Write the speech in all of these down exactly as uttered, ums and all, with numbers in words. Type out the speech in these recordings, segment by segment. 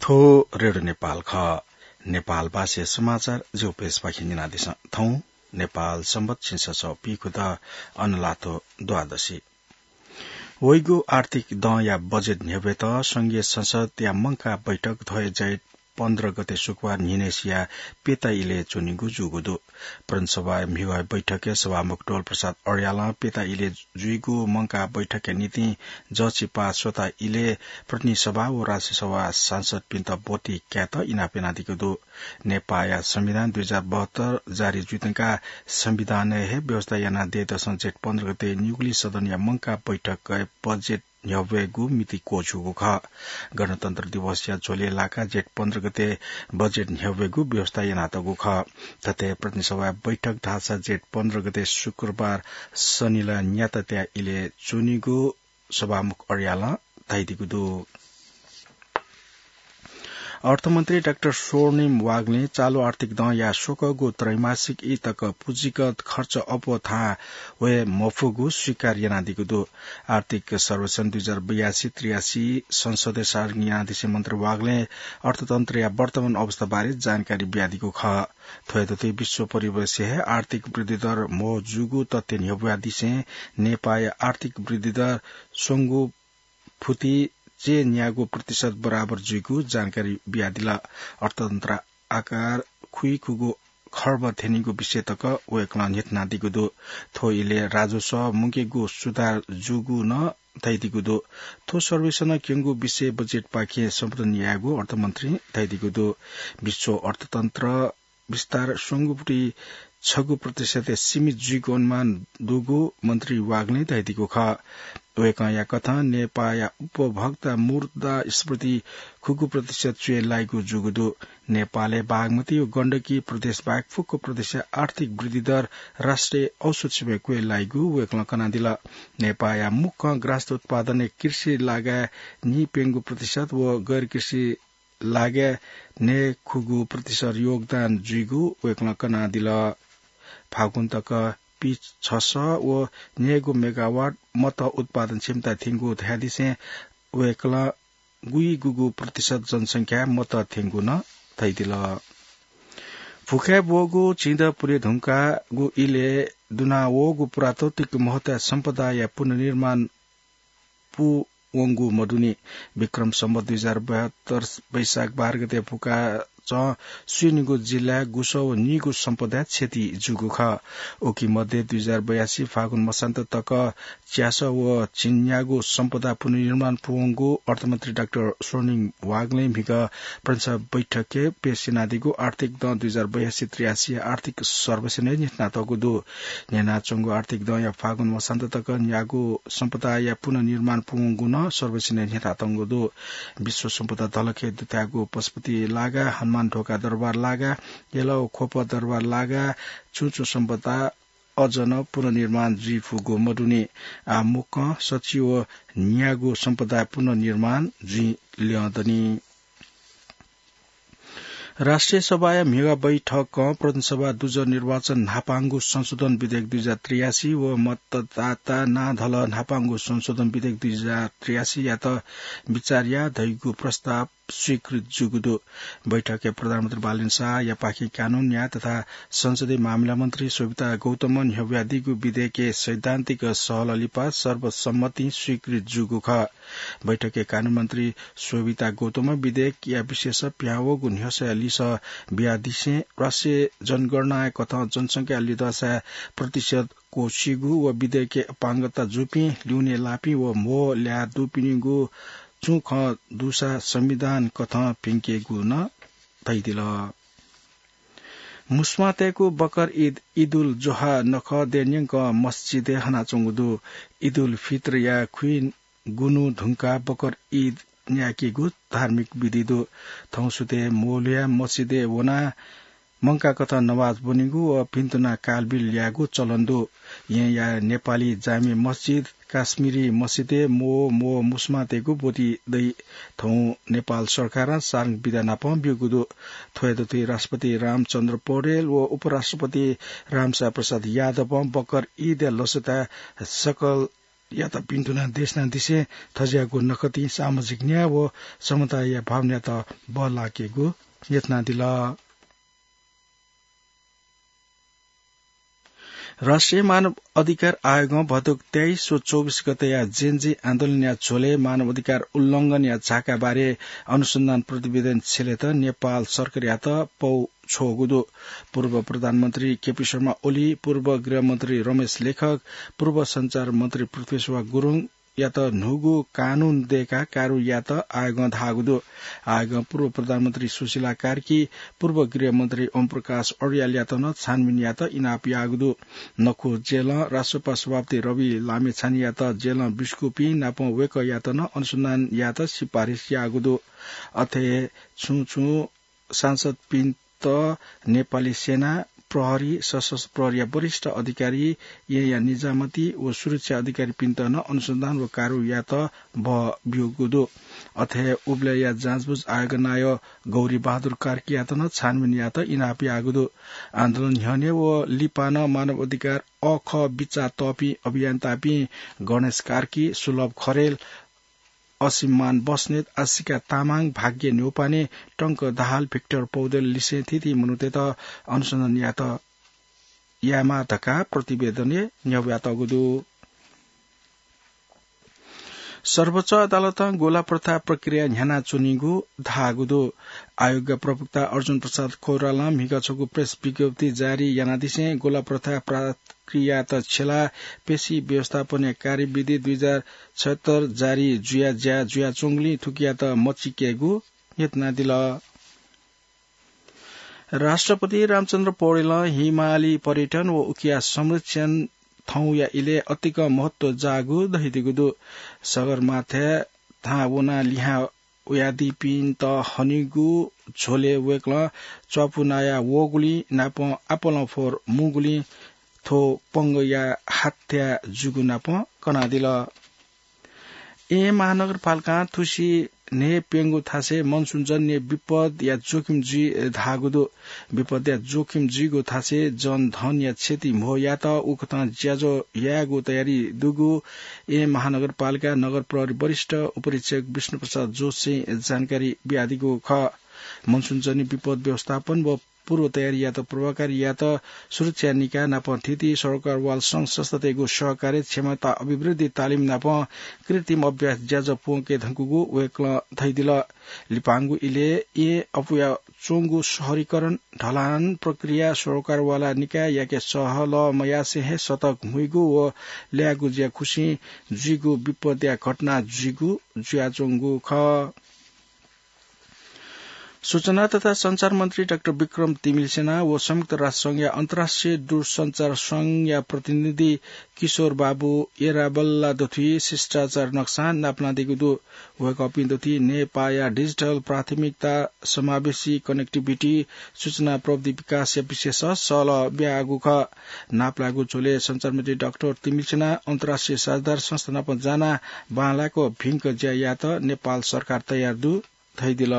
थ्व रेडियो नेपाल खः। नेपाल भाषाया समाचार जिगु पेजपाखें न्यनादिसँ। थौं नेपाल संवत् झिंछसः पीखुदँ अनलाथ्व द्वादशी। वइगु आर्थिक दँया बजेट न्ह्यब्वयेत संघीय संसदया मंकाः बैठक थ्व हे जेठ पन्ध्र गते शुक्रबार न्हिनय्सिया प्यता इलय् च्वनीगु जूगु दु। प्रतिनिधि सभाया म्हिगः बैठकय् सभामुख डोल प्रसाद अर्यालं प्यता इलय् जुइगु मंकाः बैठकया निंतिं जःछि पाः स्वता इलय् प्रतिनिधि सभा व राष्ट्रिय सभा सांसदपिन्त ब्वति कायेत इनाप यानादीगु दु। नेपाःया संविधान दुई हजार बहत्तर जारी जुइधुंकाः संविधानय् हे व्यवस्था यानाः दँय्दसं जेठ पन्ध्र गते निगुलिं सदनया मंकाः बैठकय् बजेट न्ह्यब्वयेगु मिति क्वछुगु खः। गणतन्त्र दिवसया झ्वलय् लाकाः जेठ पन्ध्र गते बजेट न्ह्यब्वयेगु व्यवस्था यानातःगु खः। थथे प्रतिनिधि सभाया बैठक धाःसा जेठ पन्ध्र गते शुक्रबार सनिलः न्यातात्या इलय् च्वनीगु सभामुख अर्यालं धयादीगु दु। अर्थमन्त्री डाक्टर स्वर्णिम वाग्लें चालु आर्थिक दँया स्वकःगु त्रैमासिक ई तक पुँजीगत खर्च अप्वः थाहां वये मफुगु स्वीकार यानादीगु दु। आर्थिक सर्वेक्षण दुई हजार बयासी त्रियासी संसदय् सार्वजनिक यानादिसें मन्त्री वाग्लें अर्थतन्त्रया वर्तमान अवस्थाबारे जानकारी बियादीगु खः। थ्व हे दथुइ विश्व परिवेशय् हे आर्थिक वृद्धि दर म्हो जूगु तथ्य न्ह्यब्वयादिसें नेपाःया आर्थिक वृद्धि दर स्वंगू फुति चय्न्यागू प्रतिशत बराबर जुइगु जानकारी बियादिल। अर्थतन्त्र आकार खुइखुगू खर्ब थ्यनीगु विषय तक वय्कलं न्ह्यथनादीगु दु। थ्व इलय् राजस्व मुंकेगु सुधार जूगु नं धयादीगु दु। थ्व सर्वेक्षणं क्यंगु विषय बजेटपाखें सम्बोधन यायेगु अर्थमन्त्रीं धयादीगु दु। विश्व अर्थतन्त्र विस्तार स्वंगू फुति छगू प्रतिशतय् सीमित जुइगु अनुमान दुगु मन्त्री वाग्लें धयादीगु खः। वय्कःया कथं नेपाःया उपभोक्ता मुद्रास्फीति खुगू प्रतिशत च्वय् लाइगु जूगु दु। नेपालय् बागमती व गण्डकी प्रदेश बाहेक फुक्क प्रदेशया आर्थिक वृद्धि दर राष्ट्रिय औसत सीमाय् क्वय् लाइगु वय्कलं कनादिल। नेपाःया मुख्य ग्रास उत्पादनय् कृषि लागाय् नीप्यंगू प्रतिशत व गैर कृषि लागाय् न्हय्खुगू प्रतिशत योगदान जुइगु वय्कलं कनादिल। फागुन तक पीछसः व न्हय्गू मेगावाट मत उत्पादन क्षमता थ्यंगु धयादिसें वय्कलं गुइगुगू प्रतिशत जनसंख्याय् मत थ्यंगु नं धयादिल। भुखाय् ब्वःगु झिंदँ पुले धुंकाःगु इलय् दुनावःगु पुरातात्विक महत्वया सम्पदाया पुनर्निर्माण पूवंगु मदुनि। विक्रम सम्वत दुई हजार बहत्तर वैशाख बाह्र गते भुखाचं स्वीनिगू जिल्लाय् गुसः व नीगू सम्पदाय् क्षति जूगु खः। उकी मध्ये दुई हजार बयासी फागुन मसान्त तक च्यासः व झिंन्यागू सम्पदा पुनर्निर्माण पूवंगु अर्थमन्त्री डाक्टर स्वर्णिम वाग्लें म्हिगः प्रतिनिधि सभा बैठकय् पेश यानादीगु आर्थिक दँ दुई हजार बयासी त्रियासी आर्थिक सर्वेक्षणय् न्ह्यथनातःगु दु। न्ह्यनाच्वंगु आर्थिक दँया फागुन मसान्त तक न्यागू सम्पदाया पुनर्निर्माण पूवंगु नं सर्वेक्षणय् न्ह्यथनातःगु दु। विश्व सम्पदा धलखय् दुथ्याःगु पशुपति लागा, हनुमान ढोका दरबार लागा, यलः व ख्वप दरबार लागा, छुं छुं सम्पदा अझ नं पुनर्निर्माण जुइफुगु मदुनि। आः मुक्कं सच्छि व न्यागू सम्पदा पुनर्निर्माण जुइ ल्यं दनि। राष्ट्रिय सभाया म्हिगः बैठकं प्रतिनिधि सभा दुजः निर्वाचन न्हापांगु संशोधन विधेयक दुई हजार त्रियासी व मतदाता नां धलः न्हापांगु संशोधन विधेयक दुई हजार त्रियासीयात बिचाः याः धइगु प्रस्ताव स्वीकृत जूगु दु। बैठकय् प्रधानमन्त्री बालेन्द्र शाहयापाखें कानून न्याय तथा संसदीय मामिला मन्त्री शोभिता गौतमं न्ह्यब्वयादीगु विधेयकय् सैद्धान्तिक सहलह लिपा सर्वसम्मतिं स्वीकृत जूगु खः। बैठकय् कानून मन्त्री शोभिता गौतमं विधेयकया विषयस पिहां वःगु न्ह्यसःया लिसः बियादिसें राष्ट्रिय जनगणनाया कथं जनसंख्या लिधःसाय् प्रतिशत क्वःछिइगु व विधेयकय् अपाङ्गता जूपिं ल्यूने लाःपिं व म्हो ल्याः दुपिनिगु छुं खँ दुसा संविधान कथं प्यंकेगु नं धयादिल। मुस्मातय्‌गु बकर ईद, ईदुल जोहा नखः दँय्‌न्यंक मस्जिदय् हनाच्वंगु दु। ईदुल फित्रया खुइगुन्हु धुंकाः बकर ईद न्यायेकेगु धार्मिक विधि दु। थौं सुथय् म्हो ल्हुयाः मस्जिदय् वनाः मंकाकथं नमाज ब्वनेगु व भिन्तुना कालबिल यायेगु चलन दु। येँया नेपाली जामे मस्जिद, काश्मीरी मस्जिदय् म्हो म्हो मुस्मातय्‌गु ब्वति दइ। थौं नेपाल सरकारं सार्वजनिक विधानापं ब्यूगु दु। थ्व हे दथुइ राष्ट्रपति रामचन्द्र पौडेल व उपराष्ट्रपति रामसाय प्रसाद यादवं बकर ईदया लसताय् सकल यात पिन्तुना देशना दिसे थज्याःगु नकतिं सामाजिक न्याय व समताया भावनायात बल लाकेगु यत्नादिल। राष्ट्रिय मानव अधिकार आयोगं भदुक तेइस व चौबिस गतेया जेनजी आन्दोलनया झ्वलय् मानव अधिकार उल्लंघनया झाका बारे अनुसन्धान प्रतिवेदन छ्यलेत नेपाल सरकारयात पौ छ्वःगु दु। पूर्व प्रधानमन्त्री केपी शर्मा ओली, पूर्व गृहमन्त्री रमेश लेखक, पूर्व सञ्चार मन्त्री पृथ्वेश्वर गुरुङ यात न्हूगु कानून दय्काः कारवाही यात आयोगं धाःगु दु। आयोगं पूर्व प्रधानमन्त्री सुशीला कार्की, पूर्व गृहमन्त्री ओमप्रकाश अर्यालयात नं छानबिन यात इनाप याःगु दु। नखु जेलं राष्ट्रपा सभापति रवि लामिछानेयात जेलं बिस्कूपिं नाप वय्कःयात नं अनुसन्धान यात सिफारिस याःगु दु। अथे हे छुं छुं सांसदपिन्त, नेपाली सेना, प्रहरी, सशस्त्र प्रहरीया वरिष्ठ अधिकारी, येँया निजामती व सुरक्षा अधिकारीपिन्त नं अनुसन्धान व कारवाही यात बह ब्यूगु दु। अथे हे उबलय्या जाँचबुझ आयोग नायः गौरी बहादुर कार्कीयात नं छानबिन यात इनाप याःगु दु। आन्दोलन न्ह्यःने व लिपा नं मानव अधिकार अःखः बिचाः तःपिं अभियन्तापिं गणेश कार्की, सुलभ खरेल, असिममान बस्नेत, आशिका तामाङ, भाग्य न्यौपाने, टंक दाहाल, भिक्टर पौडेल लिसें थीथी मनूतय्त अनुसन्धान यात यायेमाः धकाः प्रतिवेदनय् न्ह्यब्वयातःगु दु। सर्वोच्च अदालतं गोला प्रथा प्रक्रिया न्ह्यानाच्वनीगु धाःगु दु। आयोगया प्रवक्ता अर्जुन प्रसाद कोइरालां म्हिगः छगू प्रेस विज्ञप्ति जारी यानादिसें गोला प्रथा प्रक्रियात छ्यलाः पेशी व्यवस्थापनया कार्यविधि दुई हजार छयत्तर जारी जुया ज्या जुयाच्वंगुलिं थुकियात मचिकेगु यत्नादिल। राष्ट्रपति रामचन्द्र पौडेलं हिमाली पर्यटन व उकिया संरक्षण थौंया इलय् अतिकं महत्व जाःगु धयादीगु दु। सगरमाथाय् थाहां वनाः लिहां वयादीपिन्त हनीगु झ्वलय् वय्कलं च्वापु नाया वःगुलिं नापं आपालं फोहर मुंगुलिं थ्व पंगःया हाथ्या जूगु नापं कनादिल। येँ महानगरपालिकां थुसी न्हय्प्यंगु थासय् मनसुनजन्य विपदया जोखिम जुइ धाःगु दु। विपदया जोखिम जुइगु थासय् जनधनया क्षति म्हो यात उकथं ज्याझ्वः यायेगु तयारी दुगु येँ महानगरपालिका नगर प्रहरी वरिष्ठ उपरीक्षक विष्णुप्रसाद जोशीं जानकारी बियादीगु खः। मनसुनजन्य विपद व्यवस्थापन व पूर्व तयारी यात प्रभावकारी यात सुरक्षा निकाय नाप थीथी सरकारवाल संघ संस्थातय्गु सहकार्य क्षमता अभिवृद्धि तालिम नाप कृत्रिम अभ्यास ज्याझ्वः प्वंके धुंकूगु वय्कलं धयादिल। लिपांगु इलय् येँ अपुया च्वंगु शहरीकरण ढलान प्रक्रिया सरकारवाला निकाययाके सहलह मयासें हे सतर्क हुइगु व ल्यायेगु ज्याखुसिं जुइगु विपदया घटना जुइगु जुयाच्वंगु खः। सूचना तथा सञ्चार मन्त्री डाक्टर विक्रम तिमिल्सिना व संयुक्त राष्ट्र संघया अन्तर्राष्ट्रिय दूरसञ्चार संघया प्रतिनिधि किशोर बाबु एराबल्ला दथुइ शिष्टाचार नक्सां नापलानादीगु दु। वय्कःपिं दथुइ नेपाःया डिजिटल प्राथमिकता, समावेशी connectivity, सूचना प्रविधि विकासया विषयस सहलह बियागु खः। नापलाःगु झ्वलय् सञ्चार मन्त्री डाक्टर तिमिल्सिना अन्तर्राष्ट्रिय साझेदार संस्था नाप जानाः बांलाक भिंक ज्या यायेत नेपाल सरकार तयार दु धयादिल।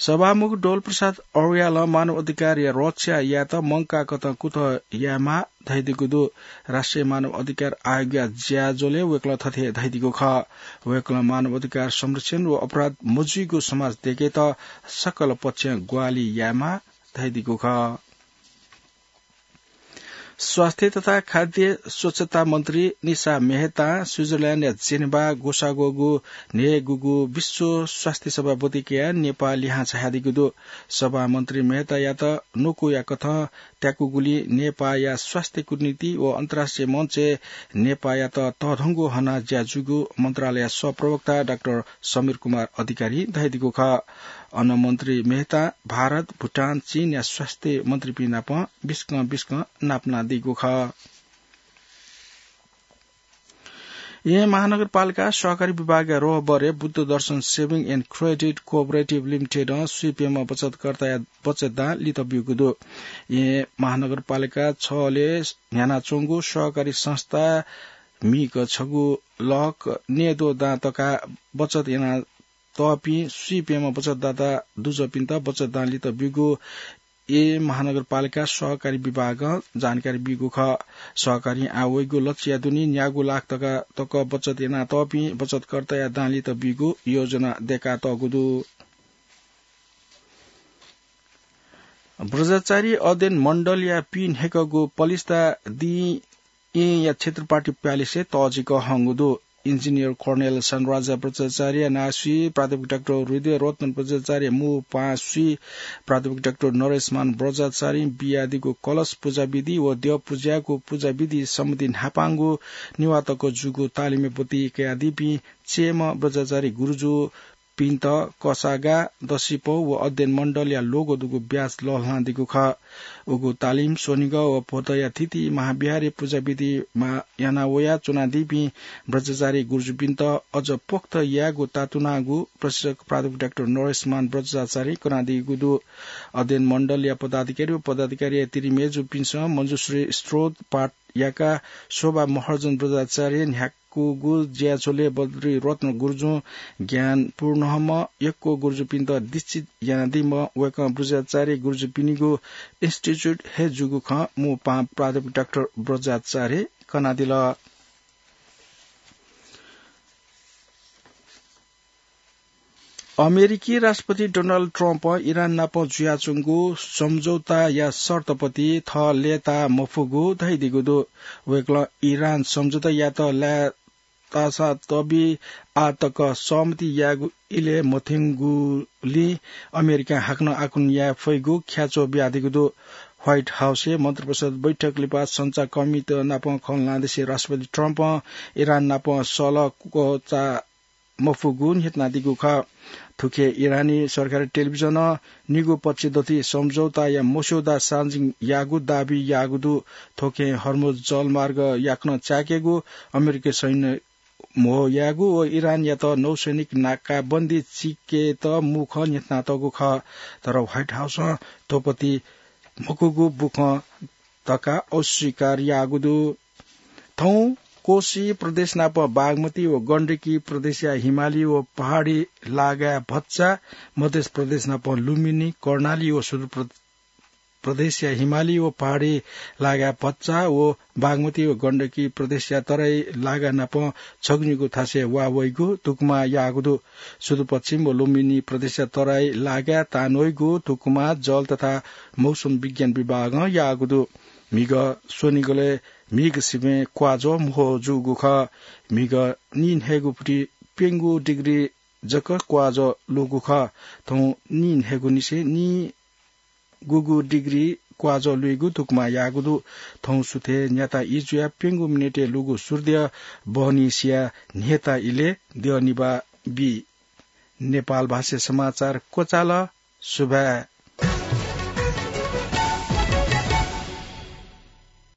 सभामुख डोल प्रसाद अर्यालं मानव अधिकारया रक्षा यायेत मंकाकथं कुतः यायेमाः धयादीगु दु। राष्ट्रिय मानव अधिकार आयोगया ज्याझ्वलय् वय्कलं थथे धयादीगु खः। वय्कलं मानव अधिकार संरक्षण व अपराध मजुइगु समाज दयेकेत सकल पक्षं ग्वाहालि यायेमाः धयादीगु खः। स्वास्थ्य तथा खाद्य स्वच्छता मन्त्री निशा मेहतां स्विजरल्याण्डया जेनेभा ग्वसाः ग्वःगु न्हय्गूगु विश्व स्वास्थ्य सभा बतिकाया नेपाः लिहां झायादीगु दु। सभामन्त्री मेहतायात न्वकुया कथं त्याकूगुलिं नेपाःया स्वास्थ्य कूटनीति व अन्तर्राष्ट्रिय मञ्चय् नेपाःयात तःधंगु हनाः ज्या जूगु मन्त्रालयया सहप्रवक्ता डाक्टर समीर कुमार अधिकारीं धयादीगु खः। अन मन्त्री मेहतां भारत, भुटान, चीनया स्वास्थ्य मन्त्रीपिं नाप बिस्कं बिस्कं नापलानादीगु खः। येँ महानगरपालिका सहकारी विभागया रोहबरय् बुद्ध दर्शन Saving and Credit Cooperative Limited-ं स्वीप्यम्ह बचतकर्ताया बचत दां लित ब्यूगु दु। येँ महानगरपालिका छलय् न्ह्यानाच्वंगु सहकारी संस्था म्हिगः छगू लक न्येद्वः दां तकाः बचत याना तःपिं स्वीप्यम्ह बचतदाता दुजःपिन्त बचत दां लित ब्यूगु ए महानगरपालिका सहकारी विभागं जानकारी बीगु खः। सहकारी आः वइगु लक्ष्यया दुने न्यागू लाख तका तक बचत यानातःपिं बचतकर्ताया दांलित बीगु योजना दय्कातःगु दु। ब्रजाचारी अध्ययन मण्डलया पीन्हेकःगु पलिस्था दिं येँया क्षेत्रपाटी प्यालेसय् तःजिक हंगु दु। इन्जिनियर कर्णेल सानराजा ब्रजाचार्य नासुइ, प्राध्यापक डाक्टर हृदय रत्न ब्रजाचार्य मू पासुइ, प्राध्यापक डाक्टर नरेशमान ब्रजाचार्य बियादीगु कलश पुजाविधि व द्यः पुज्याःगु पुजाविधि सम्बन्धी न्हापांगु निवातक जूगु तालिमय् ब्वति कयादीपिं चेम्ह ब्रजाचार्य गुरुजु पिन्त कसागा दसिपौ व अध्ययन मण्डलया लोगो दुगु ब्याच लःल्हानादीगु खः। उगु तालिम स्वनिगः व भोतया थिति महाविहारय् पुजाविधि मा-, याना वया च्वनादीपिं ब्रजाचार्य गुरुजुपिन्त अझ पोख्त यायेगु तातुनागु प्रशिक्षक प्राध्यापक डाक्टर नरेशमान ब्रजाचार्य कनादीगु दु। अध्ययन मण्डलया पदाधिकारी व पदाधिकारीया तिरिमेजुपिन्सं मञ्जुश्री स्रोत पाठ याकाः शोभा महर्जन ब्रजाचार्य न्ह्याकूगु ज्याझ्वलय् बद्री रत्न गुरुजुं ज्ञान पूर्णहम्म यक्व गुरुजुपिन्त दीक्षित यानादीम्ह वय्कं ब्रजाचार्य गुरुजुपिनिगु इन्स्टिच्युट हे जूगु खँ मू पाहां प्राध्यापक डाक्टर ब्रजाचार्य कनादिल। अमेरिकी राष्ट्रपति डोनाल्ड ट्रम्पं इरान नाप जुयाच्वंगु सम्झौताया शर्तपति थः लय्ताः मफुगु धयादीगु दु। वय्कलं इरान सम्झौतायात लाय्तासा तबि आः तक सहमति यायेगु इलय् मथ्यंगुलिं अमेरिकां हाकनं आकलन याये फइगु ख्याच्वः बियादीगु दु। व्हाइट हाउसय् मन्त्रिपरिषद बैठक लिपा सञ्चारकर्मीत नाप खँ ल्हानादिसे राष्ट्रपति ट्रम्पं इरान नाप सल्लाह क्वचाः मफुगु न्ह्यथनादीगु खः। थुखे इरानी सरकारी टेलिभिजनं निगू पक्ष दथुइ सम्झौताया मस्यौदा सार्वजनिक याःगु दाबी याःगु दु। थुखें हर्मुज जलमार्ग याकनं चाय्केगु, अमेरिकी सैन्य म्हो यायेगु व इरानयात नौसैनिक नाकाबन्दी चिकेत मू खँ न्ह्यथनातःगु खः। तर व्हाइट हाउसं थ्वपति मखुगु बुखँ धकाः अस्वीकार याःगु दु। थौं कोशी प्रदेश नाप बागमती व गण्डकी प्रदेशया हिमाली व पहाडी लागाय् भचा, मध्य प्रदेश नाप लुम्बिनी, कर्णाली व सुदूर प्र-, प्रदेशया हिमाली व पहाडी लागाय् भचा व बागमती व गण्डकी प्रदेशया तराई लागा नाप छगुनिगू थासय् वा वइगु धुकुमा याःगु दु। सुदूरपश्चिम व लुम्बिनी प्रदेशया तराई लागाय् तान वइगु धुकुमा जल तथा मौसम विज्ञान विभागं याःगु दु। म्हिगः स्वनिगलय् म्हिगः सिबें क्वाःज्वः म्हो जूगु खः। म्हिगः नीन्हय्गू पुति प्यंगू डिग्री जक क्वाःज्वः लूगु खः। थौं नीन्हय्गू निसें नी गुगु डिग्री क्वाःज्वः लुइगु धुकुमा याःगु दु। थौं सुथय् न्याता ई जुयाः प्यंगू मिनेटय् लूगु सूर्य बहनी सियाः न्ह्यता इलय् द्यः निभाः बी। नेपाल भाषाय् समाचार क्वचाल। सुभाय्।